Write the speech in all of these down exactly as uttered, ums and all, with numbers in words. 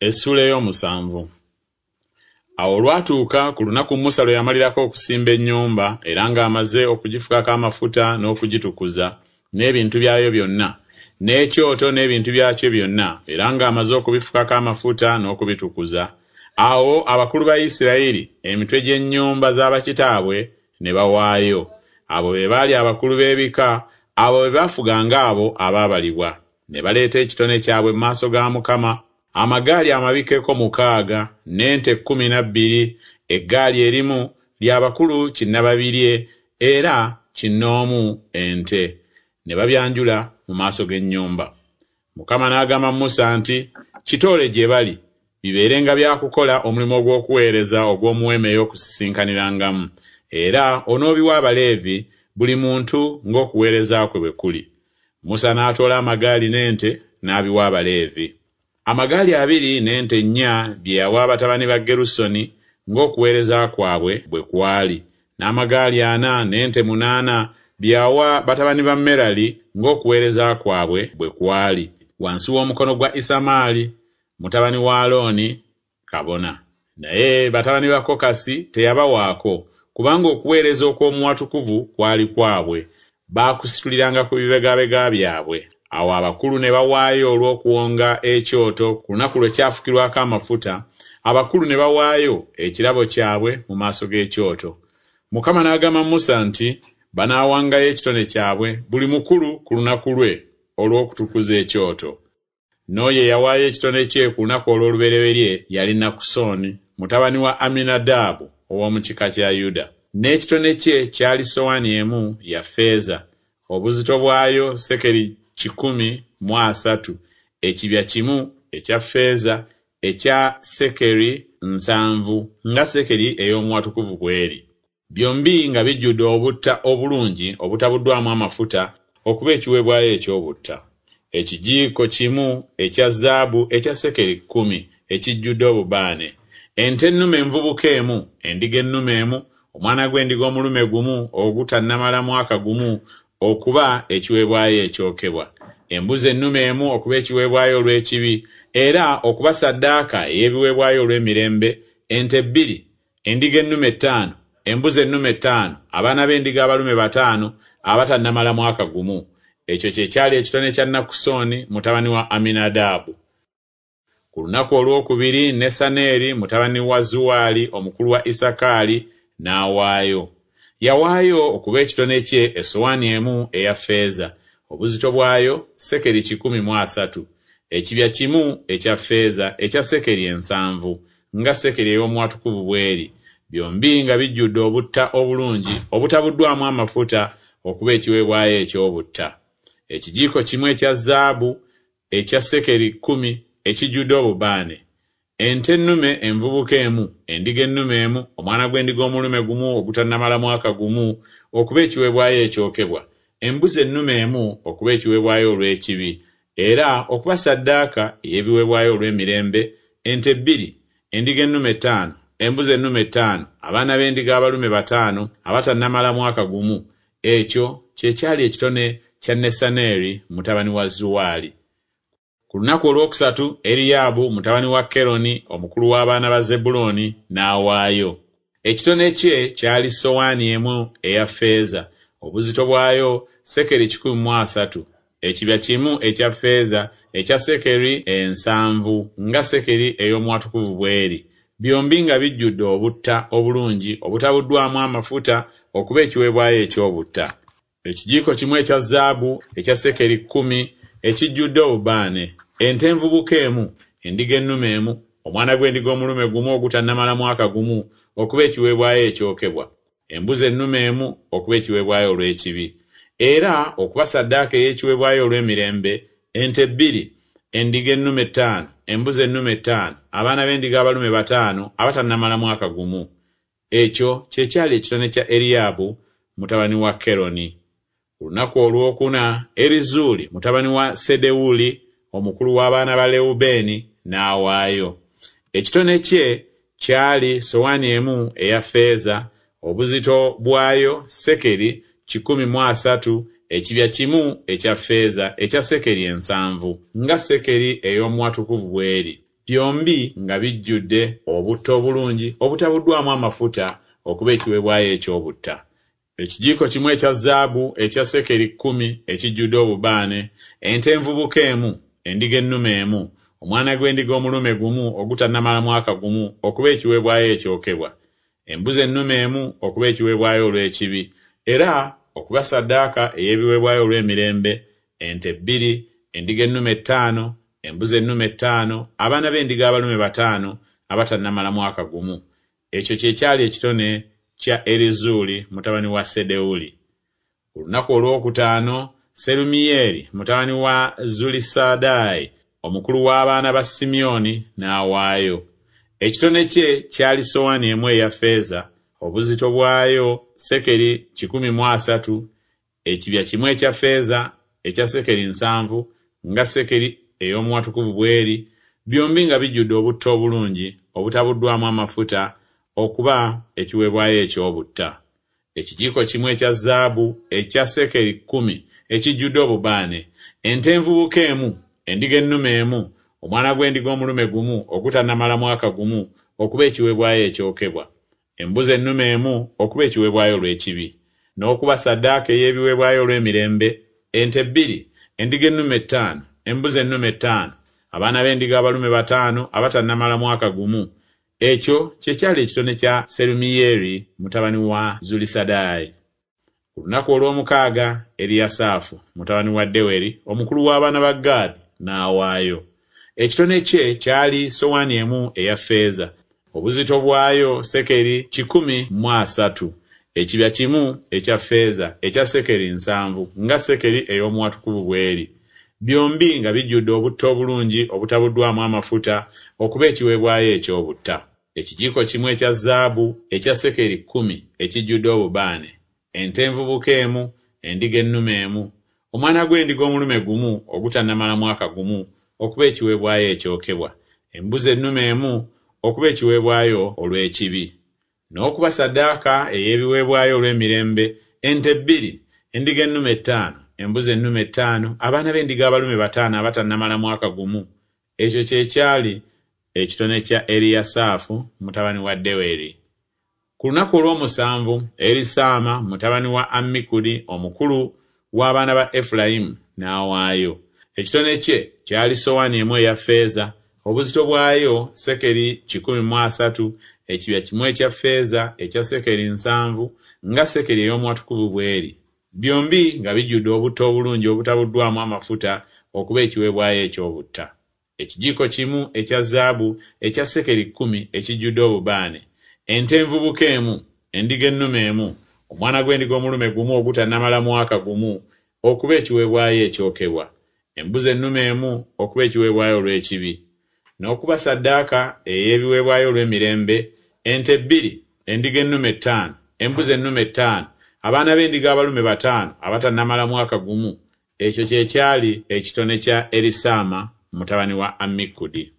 Essuula ey'omusanvu. Awo olwatuuka ku lunaku Musa lwe yamalirako okusimba ennyumba, era ng'amaze okugifukako amafuta n'okugitukuza, n'ebintu byayo byonna, n'ekyoto n'ebintu byakyo byonna, era ng'amaze okubifukako amafuta n'okubitukuza. Awo abakulu ba Isirayiri, emitwe gy'ennyumba z'abakitaabwe, ne bawaayo. Abo be baali abakulu b'ebika, abo be baafuganga abo abaabalibwa. Ne baleeta ekitone kyabwe mu maaso ga Mukama, amagaali amabikkeko mukaaga, n'ente kkumi na bbiri, eggaali erimu lya bakulu kinnababirye era kinnoomu ente. Ne babyanjula mu maaso g'ennyumba. Mukama n'agamba Musa nti, Kitoole gye bali, bibeerenga bya kukola omulimu ogw'okuweereza ogw'omu weema ey'okusisinkanirangamu, era onoobiwa Abaleevi, buli muntu ng'okuweereza kwe bwe kuli. Musa n'atoola amagaali n'ente n'abiwa Abaleevi. Amagaali abiri n'ente nnya bye yawa batabani ba Gerusoni ng'okuweereza kwabwe bwe kwali, n'amagaali ana n'ente munaana bye yawa batabani ba Merali ng'okuweereza kwabwe bwe kwali, wansi w'omukono gwa Isamaali mutabani wa Alooni kabona. Naye batabani ba Kokasi teyabawaako, kubanga okuweereza okw'omu watukuvu kwali kwabwe, baakusituliranga ku bibegabega byabwe. Awo abakulu ne bawaayo olw'okuwonga ekyoto ku lunaku lwe kyafukirwako amafuta, abakulu ne bawaayo ekirabo kyabwe mu maaso g'ekyoto. Mukama n'agamba Musa nti, Banaawangayo ekitone kyabwe buli mukulu ku lunaku lwe olw'okutukuza ekyoto. N'oyo eyawaayo ekitone kye ku lunaku olw'olubereberye yali Nakusoni mutabani wa Aminadaabu ow'omu kika kya Yuda. N'ekitone kye kyali sowaani emu ya ffeeza, obuzito bwayo sekeri kikumi mu asatu, ekibya kimu ekya ffeeza ekya sekeri nsanvu, nga sekeri ey'omu watukuvu bw'eri. Byombi nga bijjudde obutta obulungi obutabuddwamu amafuta okuba ekiweebwayo eky'obutta. Ekijiiko kimu ekya zaabu ekya sekeri kkumi ekijjudde obubaane. Ente ennume envubuka emu, endiga ennume emu, omwana gw'endiga omulume gumu ogutannamala mwaka gumu okuba ekiweebwayo ekyokebwa, embuzi ennume emu okuba ekiweebwayo olw'ekibi, era okuba ssaddaaka ey'ebiweebwayo olw'emirembe, ente bbiri, endiga ennume ttaano, embuzi ennume ttaano, abaana b'endiga abalume bataano abatannamala mwaka gumu. Ekyo kye kyali ekitone kya Nakusoni mutabani wa Aminadaabu. Ku lunaku olwokubiri Nesaneeri mutabani wa Zuwaali omukulu wa Isakaali n'awaayo. Yawaayo okuba ekitone kye essowaani emu eya ffeeza, obuzito bwayo sekeri kikumi mu asatu, ekibya kimu ekya ffeeza ekya sekeri ensanvu, nga sekeri ey'omu watukuvu bw'eri, byombi nga bijjudde obutta obulungi obutabuddwamu amafuta okuba ekiweebwayo eky'obutta. Ekijiiko kimu ekya zaabu ekya sekeri kkumi ekijjudde obubaane. Ente ennume envubuka emu, endiga ennume emu, omwana gw'endiga omulume gumu ogutannamala mwaka gumu okuba ekiweebwayo ekyokebwa, embuzi ennume emu okuba ekiweebwayo olw'ekibi, era okuba ssaddaaka ey'ebiweebwayo olw'emirembe, ente bbiri, endiga ennume ttaano, embuzi ennume ttaano, abaana b'endiga abalume bataano abatannamala mwaka gumu. Ekyo kye kyali ekitone kya Nesaneeri mutabani wa Zuwaali. Ku lunaku olwokusatu Eriyaabu mutabani wa Keroni omukulu w'abaana ba Zebbulooni n'awaayo. Ekitone kye kyali sowaani emu eya ffeeza, obuzito bwayo sekeri kikumi mu asatu, ekibya kimu ekya ffeeza ekya sekeri ensanvu, nga sekeri ey'omu watukuvu bw'eri, byombi nga bijjudde obutta obulungi obutabuddwamu amafuta okuba ekiweebwayo eky'obutta. Ekijiiko kimu ekya zaabu ekya sekeri kkumi ekijjudde obubaane, ente envubuka emu, endiga ennume emu, omwana gw'endiga omulume gumu ogutannamala mwaka gumu okuba ekiweebwayo ekyokebwa, embuzi ennume emu okuba ekiweebwayo olw'ekibi, era okuba ssaddaaka ey'ekiweebwayo olw'emirembe, ente bbiri, endiga ennume ttaano, embuzi ennume ttaano, abaana b'endiga abalume bataano abatannamala mwaka gumu. Ekyo kye kyali ekitone kya Eriyaabu mutabani wa Keroni. Ku lunaku olwokuna Erizuuli mutabani wa Sedewuli omukulu w'abaana ba Lewubeeni n'awaayo. Ekitone kye kyali sowaani emu eya ffeeza, obuzito bwayo sekeri kikumi mu asatu, ekibya kimu ekya ffeeza ekya sekeri ensanvu, nga sekeri ey'omu watukuvu bw'eri, byombi nga bijjudde obutta obulungi obutabuddwamu amafuta okuba ekiweebwayo eky'obutta. Ekijiiko kimu ekya zaabu ekya sekeri kkumi ekijjudde obubaane, ente envubuka emu, endiga ennume emu, omwana gw'endiga omulume gumu ogutannamala mwaka gumu okuba ekiweebwayo ekyokebwa, embuzi ennume emu okuba ekiweebwayo olw'ekibi, era okuba ssaddaaka ey'ebiweebwayo olw'emirembe, ente bbiri, endiga ennume ttaano, embuzi ennume ttaano, abaana b'endiga abalume bataano abatannamala mwaka gumu. Ekyo kye kyali ekitone kya Erizuuli mutabani wa Sedewuli. Ku lunaku olwokutaano Serumiyeeri mutabani wa Zulisadaayi omukulu w'abaana ba Simyoni n'awaayo. Ekitone kye kyali sowaani emu eya ffeeza, obuzito bwayo sekeri kikumi mu asatu, ekibya kimu ekya ffeeza ekya sekeri nsanvu, nga sekeri ey'omuwatukuvu bw'eri, byombi nga bijjudde obutta obulungi obutabuddwamu amafuta okuba ekiweebwayo eky'obutta. Ekijiiko kimu ekya zaabu ekya sekeri kkumi ekijjudde obubaane, ente envubuka emu, endiga ennume emu, omwana gw'endiga omulume gumu ogutannamala mwaka gumu okuba ekiweebwayo ekyokebwa, embuzi ennume emu okuba ekiweebwayo olw'ekibi, n'okuba ssaddaaka ey'ebiweebwayo olw'emirembe, ente bbiri, endiga ennume ttaano, embuzi ennume ttaano, abaana b'endiga abalume bataano abatannamala mwaka gumu. Ekyo kye kyali ekitone kya Serumiyeeri mutabani wa Zulisadaayi. Ku lunaku olw'omukaaga Eriyasaafu mutabani wa Deweri omukulu w'abaana ba Gaadi n'awaayo. Ekitone kye kyali sowaani emu eya ffeeza, obuzito bwayo sekeri kikumi mu asatu, ekibya kimu ekya ffeeza ekya sekeri nsanvu, nga sekeri ey'omuwatukuvu bw'eri, byombi nga bijjudde obutta obulungi obutabuddwamu amafuta okuba ekiweebwayo eky'obutta. Ekijiiko kimu ekya zaabu ekya sekeri kkumi ekijjudde obubaane, ente envubuka emu, endiga ennume emu, omwana gw'endiga omulume gumu ogutannamala mwaka gumu okuba ekiweebwayo ekyokebwa, embuzi ennume emu okuba ekiweebwayo olw'ekibi, n'okuba ssaddaaka ey'ebiweebwayo olw'emirembe, ente bbiri, endiga ennume ttaano, embuzi ennume ttaano, abaana b'endiga abalume bataano abatannamala mwaka gumu. Ekyo kye kyali ekitone kya Eriyasaafu mutabani wa Deweri. Ku lunaku olw'omusanvu Erisaama mutabani wa Ammikudi omukulu w'abaana ba Efulayimu n'awaayo. Ekitone kye kyali sowaani emu eya ffeeza, obuzito bwayo sekeri kikumi mu asatu, ekibya kimu ekya ffeeza ekya sekeri nsanvu, nga sekeri ey'omuwatukuvu bw'eri, byombi nga bijjudde obutta obulungi obutabuddwamu amafuta okuba ekiweebwayo eky'obutta. Ekijiiko kimu ekya zaabu ekya sekeri kkumi ekijjudde obubaane, ente envubuka emu, endiga ennume emu, omwana gw'endiga omulume gumu ogutannamala mwaka gumu okuba ekiweebwayo ekyokebwa, embuzi ennume emu okuba ekiweebwayo olw'ekibi, n'okuba ssaddaaka ey'ebiweebwayo olw'emirembe, ente bbiri, endiga ennume ttaano, embuzi ennume ttaano, abaana b'endiga abalume bataano abatannamala mwaka gumu. Ekyo kye kyali ekitone kya Erisaama mutabani wa Ammikudi.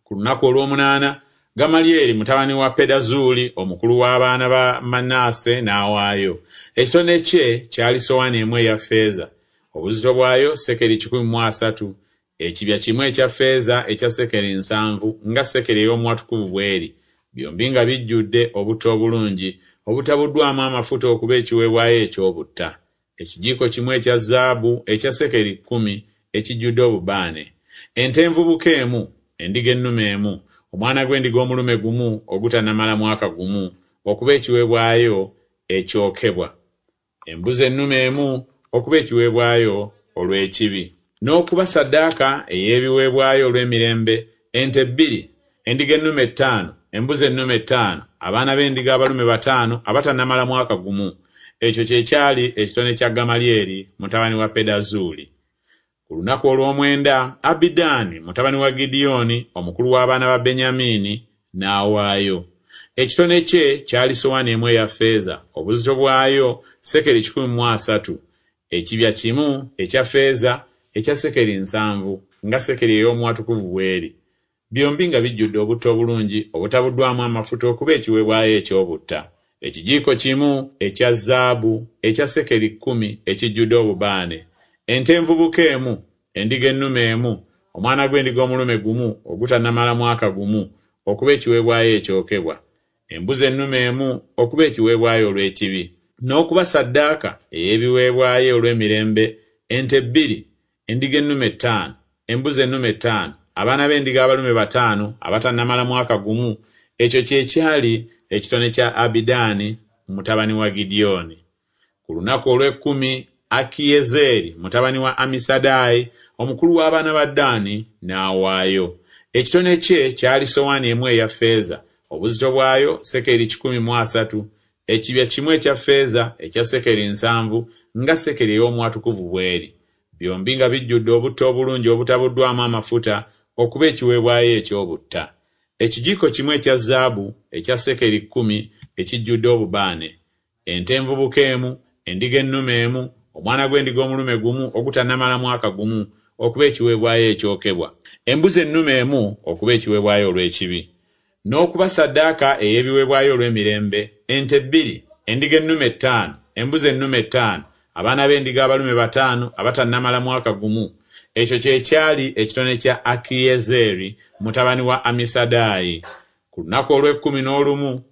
Ku lunaku olw'omunaana Gamalyeri mutabani wa Pedazuuli omukulu w'abaana ba Manase n'awaayo. Ekitone kye kyali sowaani emu eya ffeeza, obuzito bwayo sekeri kikumi mu asatu, ekibya kimu ekya ffeeza ekya sekeri nsanvu, nga sekeri ey'omuwatukuvu bw'eri, byombi nga bijjudde obutta obulungi obutabuddwamu amafuta okuba ekiweebwayo eky'obutta. Ekijiiko kimu ekya zaabu ekya sekeri kkumi ekijjudde obubaane, ente envubuka emu, endiga ennume emu, omwana gw'endiga omulume gumu ogutannamala mwaka gumu okuba ekiweebwayo ekyokebwa, embuzi ennume emu okuba ekiweebwayo olw'ekibi, n'okuba ssaddaaka ey'ebiweebwayo olw'emirembe, ente bbiri, endiga ennume ttaano, embuzi ennume ttaano, abaana b'endiga abalume bataano abatannamala mwaka gumu. Ekyo kye kyali ekitone kya Gamalyeri mutabani wa Pedazuuli. Ku lunaku olw'omwenda Abidaani mutabani wa Gidyoni omukulu w'abaana ba Benyamiini n'awaayo. Ekitone kye kyali sowaani emu eya ffeeza, obuzito bwayo sekeri kikumi mu asatu, ekibya kimu ekya ffeeza ekya sekeri nsanvu, nga sekeri ey'omuwatukuvu bw'eri, byombi nga bijjudde obutta obulungi obutabuddwamu amafuta okuba ekiweebwayo eky'obutta. Ekijiiko kimu ekya zaabu ekya sekeri kkumi ekijjudde obubaane, ente envubuka emu, endiga ennume emu, omwana gw'endiga omulume gumu ogutannamala mwaka gumu okuba ekiweebwayo ekyokebwa, embuzi ennume emu okuba ekiweebwayo olw'ekibi, n'okuba ssaddaaka ey'ebiweebwayo olw'emirembe, ente bbiri, endiga ennume ttaano, embuzi ennume ttaano, abaana b'endiga abalume bataano abatannamala mwaka gumu. Ekyo kye kyali ekitone kya Abidaani mutabani wa Gidyoni. Ku lunaku olw'ekkumi Akiyezeeri mutabani wa Amisadaayi omukulu w'abaana ba Ddaani n'awaayo. Ekitone kye kyali sowaani emu eya ffeeza, obuzito bwayo sekeri kikumi mu asatu, ekibya kimu ekya ffeeza ekya sekeri nsanvu, nga sekeri ey'omu watukuvu bw'eri, byombi nga bijjudde obutta obulungi obutabuddwamu amafuta okuba ekiweebwayo eky'obutta. Ekijiiko kimu ekya zaabu ekya sekeri kkumi ekijjudde obubaane, ente envubuka emu, endiga ennume emu, omwana gw'endiga omulume gumu ogutannamala mwaka gumu okuba ekiweebwayo ekyokebwa, embuzi ennume emu okuba ekiweebwayo olw'ekibi, n'okuba ssaddaaka ey'ebiweebwayo olw'emirembe, ente bbiri, endiga ennume ttaano, embuzi ennume ttaano, abaana b'endiga abalume bataano abatannamala mwaka gumu. Ekyo kye kyali ekitone kya Akiyezeeri mutabani wa Amisadaayi. Ku lunaku olw'ekkumi n'olumu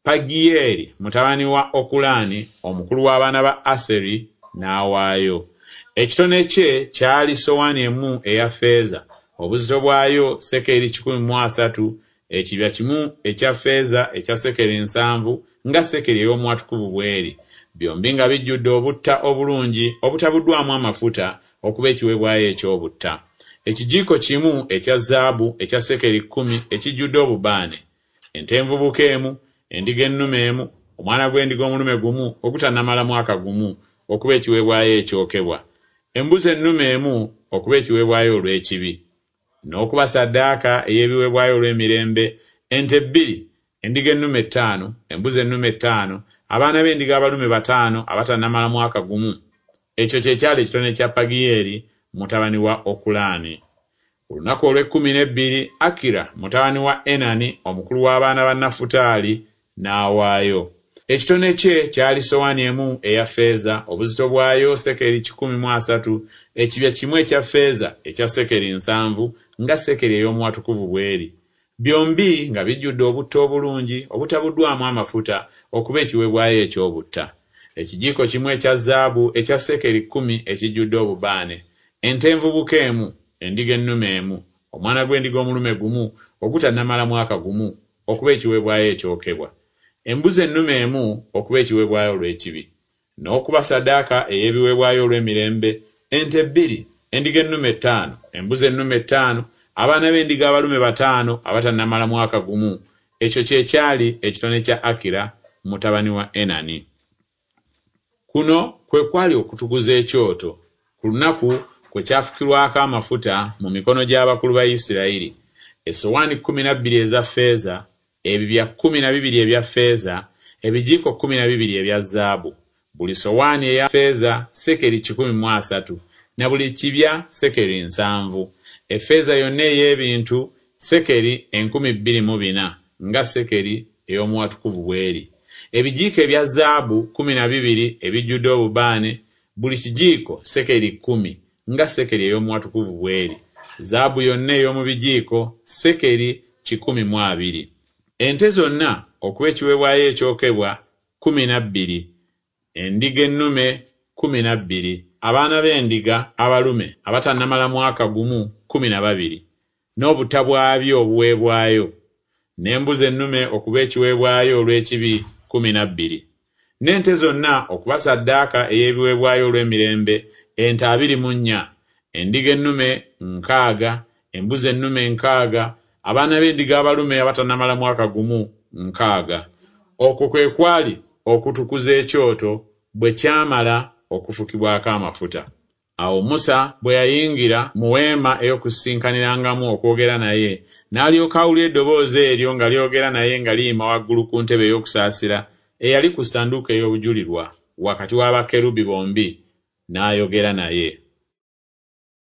Pagiyeeri mutabani wa Okulaani omukulu w'abaana ba Aseri n'awaayo. Ekitone kye kyali sowaani emu eya ffeeza, obuzito bwayo sekeri kikumi mu asatu, ekibya kimu ekya ffeeza ekya sekeri nsanvu, nga sekeri ey'omu watukuvu bw'eri, byombi nga bijjudde obutta obulungi obutabuddwamu amafuta okuba ekiweebwayo eky'obutta. Ekijiiko kimu ekya zaabu ekya sekeri kkumi ekijjudde obubaane, ente envubuka emu, endiga ennume emu, omwana gw'endiga omulume gumu ogutannamala mwaka gumu okuba ekiweebwayo ekyokebwa, embuzi ennume emu okuba ekiweebwayo olw'ekibi, n'okuba ssaddaaka ey'ebiweebwayo olw'emirembe, ente bbiri, endiga ennume ttaano, embuzi ennume ttaano, abaana b'endiga abalume bataano abatannamala mwaka gumu. Ekyo kye kyali ekitone kya Pagiyeeri mutabani wa Okulaani. Ku lunaku olw'ekkumi n'ebbiri Akira mutabani wa Enani omukulu w'abaana ba Nafutaali n'awaayo. Ekitone kye kyali sowaani emu eya ffeeza, obuzito bwayo sekeri kikumi mu asatu, ekibya kimu ekya ffeeza ekya sekeri nsanvu, nga sekeri ey'omu watukuvu bw'eri, byombi nga bijjudde obutta obulungi obutabuddwamu amafuta okuba ekiweebwayo eky'obutta. Ekijiiko kimu ekya zaabu ekya sekeri kkumi ekijjudde obubaane, ente envubuka emu, endiga ennume emu, omwana gw'endiga omulume gumu ogutannamala mwaka gumu okuba ekiweebwayo ekyokebwa, embuzi ennume emu okuba ekiweebwayo olw'ekibi, n'okuba ssaddaaka ey'ebiweebwayo olw'emirembe, ente bbiri, endiga ennume ttaano, embuzi ennume ttaano, abaana b'endiga abalume bataano abatannamala mwaka gumu. Ekyo kye kyali ekitone kya Akira mutabani wa Enani. Kuno kwe kwali okutukuza ekyoto ku lunaku kwe kyafukirwako amafuta mu mikono gy'abakulu ba Isirayiri, essowaani kkumi na bbiri eza ffeeza, ebibya kkumi na bibiri ebya ffeeza, ebijiiko kkumi na bibiri ebya zaabu, buli sowaani eya ffeeza sekeri kikumi mu asatu, na buli kibya sekeri nsanvu. Effeeza yonna ey'ebintu sekeri enkumi bbiri mu bina, nga sekeri ey'omu watukuvu bw'eri. Ebijiiko ebya zaabu kkumi na bibiri ebijjudde obubaane, buli kijiiko sekeri kkumi, nga sekeri ey'omu watukuvu bw'eri. Zaabu yonna ey'omu bijiiko sekeri kikumi mu abiri. Ente zonna okuba ekiweebwayo ekyokebwa kkumi na bbiri, endiga ennume kkumi na bbiri, abaana b'endiga abalume abatannamala mwaka gumu kkumi na babiri, n'obutta bwabyo obuweebwayo, n'embuzi ennume okuba ekiweebwayo olw'ekibi kkumi na bbiri, n'ente zonna okuba ssaddaaka ey'ebiweebwayo olw'emirembe, ente abiri mu nnya, endiga ennume nkaaga, embuzi ennume nkaaga, abaana b'endiga abalume abatannamala mwaka gumu nkaaga. Okwo kwe kwali okutukuza ekyoto bwe kyamala okufukibwako amafuta. Awo Musa bwe yayingira mu weema ey'okusisinkanirangamu okwogera naye, n'alyoka awulira eddoboozi eryo nga lyogera naye nga liyima waggulu ku ntebe ey'okusaasira eyali ku ssanduuko ey'obujulirwa wakati wa bakerubi bombi, n'ayogera naye.